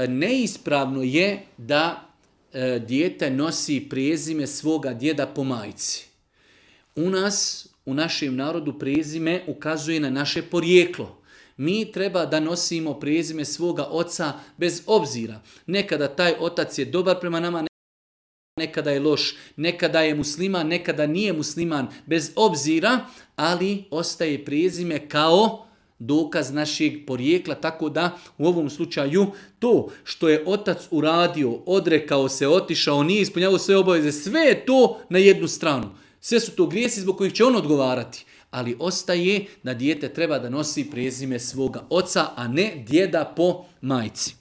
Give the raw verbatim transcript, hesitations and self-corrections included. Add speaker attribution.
Speaker 1: neispravno je da dijete nosi prezime svoga djeda po majci. U nas, u našem narodu, prezime ukazuje na naše porijeklo. Mi treba da nosimo prezime svoga oca bez obzira. Nekada taj otac je dobar prema nama, nekada je loš, nekada je musliman, nekada nije musliman, bez obzira, ali ostaje prezime kao dokaz našeg porijekla, tako da u ovom slučaju to što je otac uradio, odrekao se, otišao, nije ispunjavao sve obaveze, sve je to na jednu stranu. Sve su to grijesi zbog kojih će on odgovarati. Ali ostaje da dijete treba da nosi prezime svoga oca, a ne djeda po majci.